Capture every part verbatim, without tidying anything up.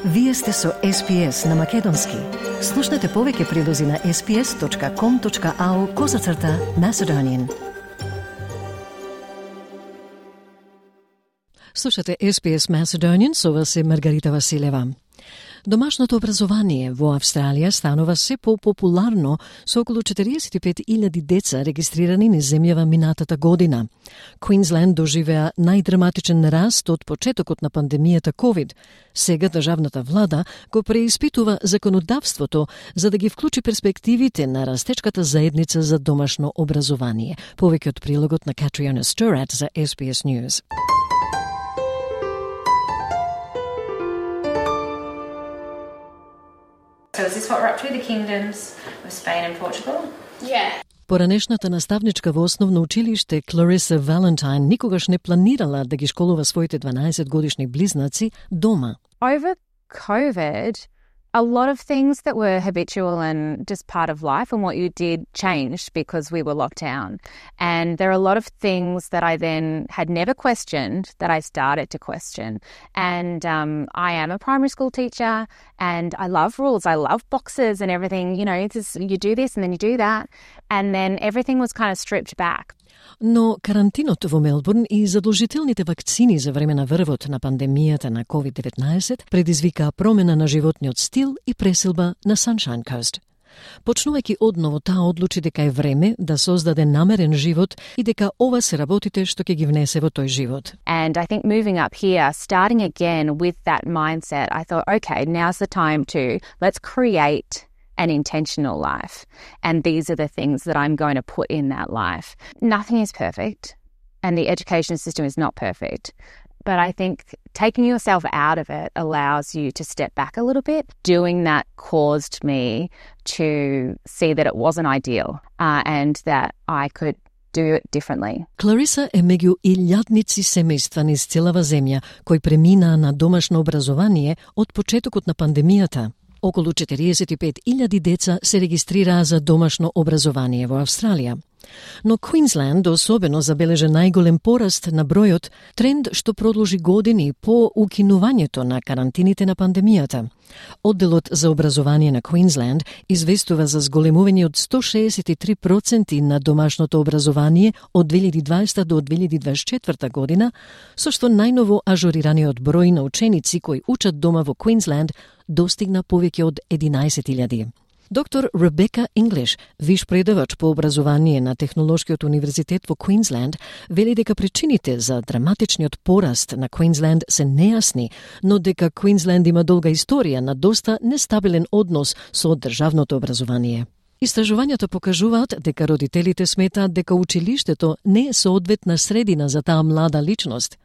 Вие сте со Ес Би Ес на Македонски. Слушнете повеќе прилози на ес би ес точка ком точка ау козацрта Macedonian. Слушате Ес Би Ес Macedonian, со вас е Маргарита Василева. Домашното образование во Австралија станува се по-популарно со околу четириесет и пет илјади деца регистрирани низ земјава минатата година. Квинсленд доживеа најдраматичен раст од почетокот на пандемијата ковид. Сега државната влада го преиспитува законодавството за да ги вклучи перспективите на растечката заедница за домашно образование. Повеќе од прилогот на Катриона Сторат за Ес Би Ес News. So is this what we're up to, the kingdoms of Spain and Portugal? Yeah. Поранешната наставничка во основно училиште Клариса Валентайн никогаш не планирала да ги школува своите дванаесет годишни близнаци дома. Over COVID, a lot of things that were habitual and just part of life and what you did changed because we were locked down. And there are a lot of things that I then had never questioned that I started to question. And um, I am a primary school teacher and I love rules. I love boxes and everything. You know, it's just, you do this and then you do that. And then everything was kind of stripped back. Но карантинот во Мелбурн и задолжителните вакцини за време на врвот на пандемијата на ковид деветнаесет предизвикаа промена на животниот стил и преселба на Sunshine Coast. Почнувајќи одново, таа одлучи дека е време да создаде намерен живот и дека ова се работите што ќе ги внесе во тој живот. And I think moving up here, starting again with that mindset, I thought, okay, now's the time to let's create an intentional life. And these are the things that I'm going to put in that life. Nothing is perfect, and the education system is not perfect. But I think taking yourself out of it allows you to step back a little bit. Doing that caused me to see that it wasn't ideal uh, and that I could do it differently. Клариса е меѓу илјадници семејства низ целава земја кои преминаа на домашно образование од почетокот на пандемијата. Околу четириесет и пет илјади деца се регистрираа за домашно образование во Австралија. Но Квинсленд особено забележа најголем пораст на бројот, тренд што продолжи години по укинувањето на карантините на пандемијата. Одделот за образование на Квинсленд известува за зголемување од сто шеесет и три проценти на домашното образование од две илјади и дваесета до две илјади и дваесет и четврта година, со што најново ажурираниот број на ученици кои учат дома во Квинсленд достигна повеќе од единаесет илјади. Доктор Ребека Инглиш, виш предавач по образование на Технолошкиот универзитет во Квинсленд, вели дека причините за драматичниот пораст на Квинсленд се нејасни, но дека Квинсленд има долга историја на доста нестабилен однос со државното образование. Истражувањата покажуваат дека родителите сметаат дека училиштето не е соодветна средина за таа млада личност.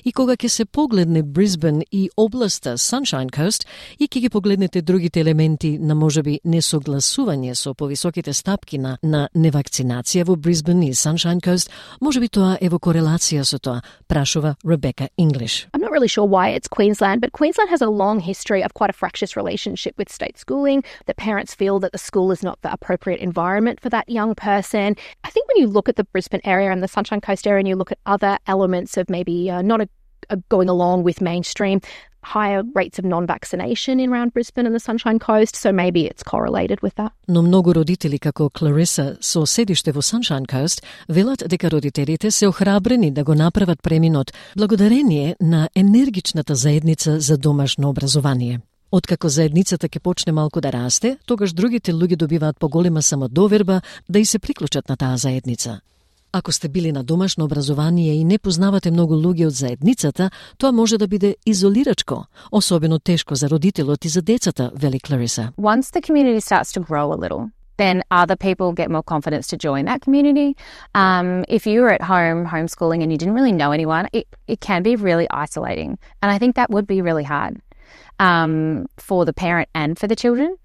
И кога ќе се погледне Брисбен и областа Sunshine Coast и ќе ги погледнете другите елементи на можеби несогласување со повисоките стапки на, на невакцинација во Брисбен и Sunshine Coast, можеби тоа е во корелација со тоа, прашува Ребека Инглиш. I'm not really sure why it's Queensland, but Queensland has a long history of quite a fractious relationship with state schooling. The parents feel that the school is not the appropriate environment for that young person. I think when you look at the Brisbane area and the Sunshine Coast area and you look at other elements of maybe uh, not a, a going along with mainstream, higher rates of non-vaccination in around Brisbane and the Sunshine Coast, so maybe it's correlated with that. Но многу родители како Клариса со седиште во Sunshine Coast велат дека родителите се охрабрени да го направат преминот благодарение на енергичната заедница за домашно образование. Откако заедницата ќе почне малку да расте, тогаш другите луѓе добиваат поголема самодоверба да и се приклучат на таа заедница. Ако сте били на домашно образование и не познавате многу луѓе од заедницата, тоа може да биде изолирачко, особено тешко за родителот и за децата, вели Клариса. Once the community starts to grow a little, then other people get more confidence to join that community. Um, if you were at home homeschooling and you didn't really know anyone, it, it can be really isolating. And I think that would be really hard um, for the parent and for the children.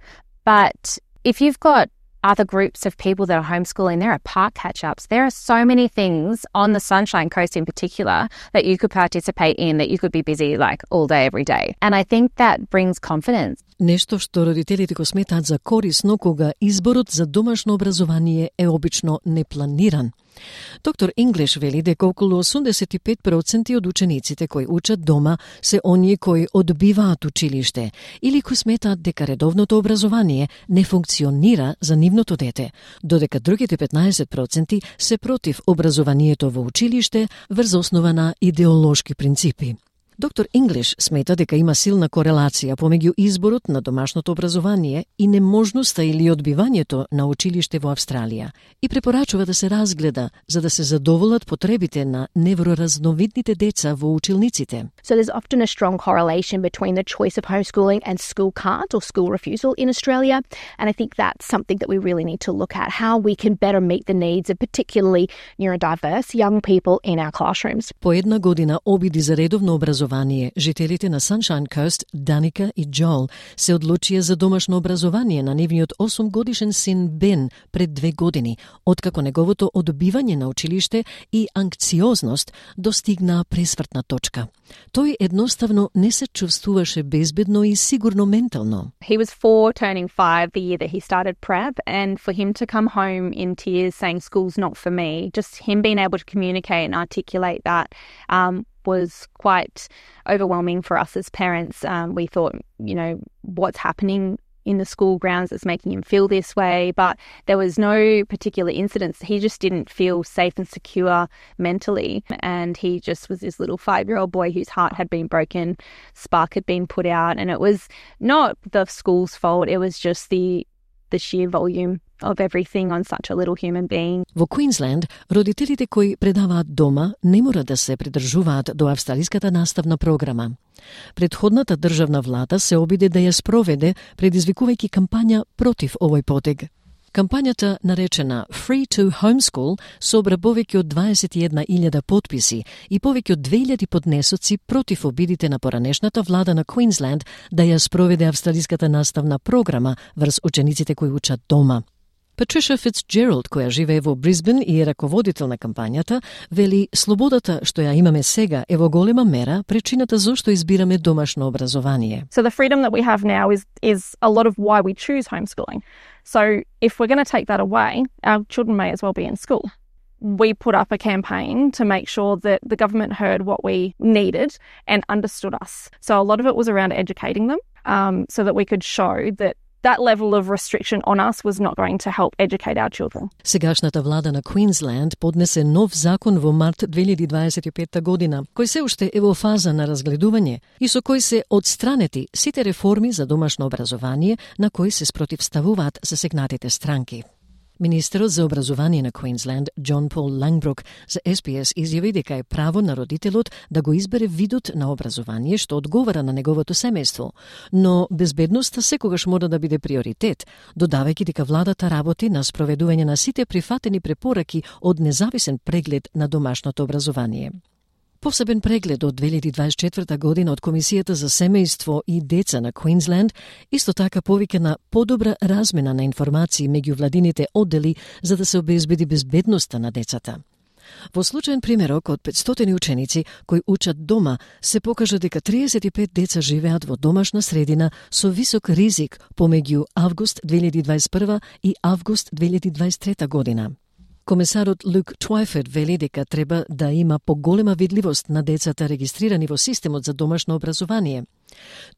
But if you've got other groups of people that are homeschooling, there are park catch-ups. There are so many things on the Sunshine Coast in particular that you could participate in, that you could be busy like all day, every day. And I think that brings confidence. Нешто што родителите го сметаат за корисно кога изборот за домашно образование е обично непланиран. Доктор English вели дека околу осумдесет и пет проценти од учениците кои учат дома се оние кои одбиваат училиште или кои сметаат дека редовното образование не функционира за нивното дете, додека другите петнаесет проценти се против образованието во училиште врз основа на идеолошки принципи. Доктор English смета дека има силна корелација помеѓу изборот на домашното образование и неможноста или одбивањето на училиште во Австралија и препорачува да се разгледа за да се задоволат потребите на невроразновидните деца во училниците. So there's often a strong correlation between the choice of homeschooling and school can't or school refusal in Australia, and I think that's something that we really need to look at, how we can better meet the needs of particularly neurodiverse young people in our classrooms. По една година обиди за редовно образование жителите на Sunshine Coast, Даника и Джол, се одлучија за домашно образование на нивниот осумгодишен син Бен пред две години, откако неговото одбивање на училиште и анкциозност достигнаа пресвртна точка. Тој едноставно не се чувствуваше безбедно и сигурно ментално. He was four, turning five the year that he started prep, and for him to come home in tears saying school's not for me, just him being able to communicate and articulate that um, was quite overwhelming for us as parents. Um, we thought, you know, what's happening in the school grounds that's making him feel this way, but there was no particular incidents. He just didn't feel safe and secure mentally, and he just was this little five-year-old boy whose heart had been broken, spark had been put out, and it was not the school's fault, it was just the the sheer volume of everything on such a little human being. Во Квинсленд, родителите кои предаваат дома не мора да се придржуваат до австралиската наставна програма. Предходната државна влада се обиде да ја спроведе, предизвикувајќи кампања против овој потег. Кампањата, наречена Free to Homeschool, собра повеќе од дваесет и една илјада потписи и повеќе од две илјади поднесоци против обидите на поранешната влада на Квинсленд да ја спроведе австралиската наставна програма врз учениците кои учат дома. Патриша Фицджералд, која живее во Брисбен и е раководител на кампањата, вели слободата што ја имаме сега е во голема мера причината зошто избираме домашно образование. So the freedom that we have now is is a lot of why we choose homeschooling. So if we're going to take that away, our children may as well be in school. We put up a campaign to make sure that the government heard what we needed and understood us. So a lot of it was around educating them, um, so that we could show that that level of restriction on us was not going to help educate our children. Сегашната влада на Квинсленд поднесе нов закон во март две илјади дваесет и петта година, кој се уште е во фаза на разгледување и со кој се одстранети сите реформи за домашно образование на кои се спротивставуваат засегнатите странки. Министерот за образование на Квинсленд, Џон Пол Лангбрук, за Ес Би Ес изјави дека е право на родителот да го избере видот на образование што одговара на неговото семејство, но безбедноста секогаш мора да биде приоритет, додавајќи дека владата работи на спроведување на сите прифатени препораки од независен преглед на домашното образование. Посебен преглед од две илјади дваесет и четврта година од Комисијата за семејство и деца на Квинсленд исто така повика на подобра размена на информации меѓу владините оддели за да се обезбеди безбедноста на децата. Во случаен примерок од петстотини ученици кои учат дома се покажа дека триесет и пет деца живеат во домашна средина со висок ризик помеѓу август две илјади дваесет и прва и август две илјади дваесет и трета година. Комесарот Люк Твајферд вели дека треба да има поголема видливост на децата регистрирани во системот за домашно образование.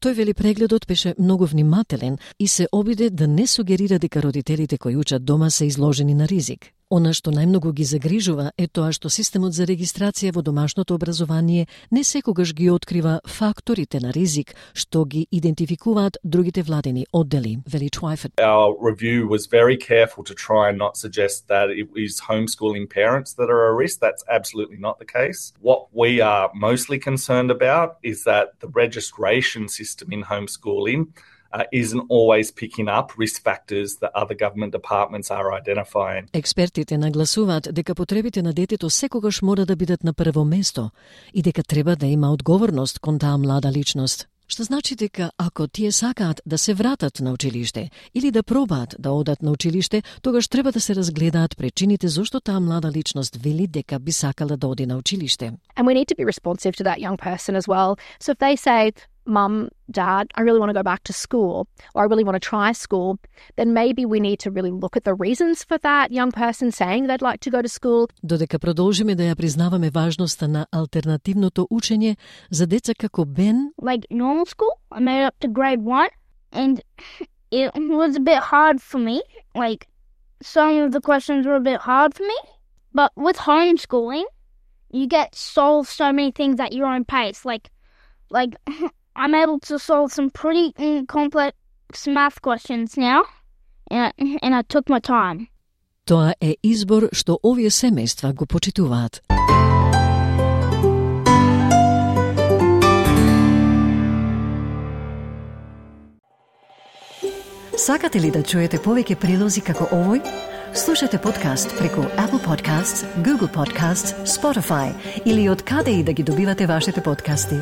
Тој вели прегледот беше многу внимателен и се обиде да не сугерира дека родителите кои учат дома се изложени на ризик. Она што најмногу ги загрижува е тоа што системот за регистрација во домашното образование не секогаш ги открива факторите на ризик што ги идентификуваат другите владени оддели, вели Твајферд. Our review was very careful to try and not suggest that it is homeschooling parents that are at risk. That's absolutely not the case. What we are mostly concerned about is that the registration system in homeschooling Uh, isn't always picking up risk factors that other government departments are identifying. Експертите нагласуваат дека потребите на детето секогаш мора да бидат на прво место и дека треба да има одговорност кон таа млада личност. Што значи дека ако тие сакаат да се вратат на училиште или да пробаат да одат на училиште, тогаш треба да се разгледаат причините зошто таа млада личност вели дека би сакала да оди на училиште. And we need to be responsive to that young person as well. So if they say, Mum, Dad, I really want to go back to school, or I really want to try school, then maybe we need to really look at the reasons for that young person saying they'd like to go to school. Додека продолжиме да ја признаваме важноста на алтернативното учење за деца како Бен, like normal school, I made it up to grade one, and it was a bit hard for me. Like, some of the questions were a bit hard for me. But with homeschooling, you get to solve so many things at your own pace. Like, like I'm able to solve some pretty complex math questions now, and I, and I took my time. Тоа е избор што овие семејства го почитуваат. Сакате ли да чуете повеќе прилози како овој? Слушате подкаст преку Apple Podcasts, Google Podcasts, Spotify или од каде и да ги добивате вашите подкасти.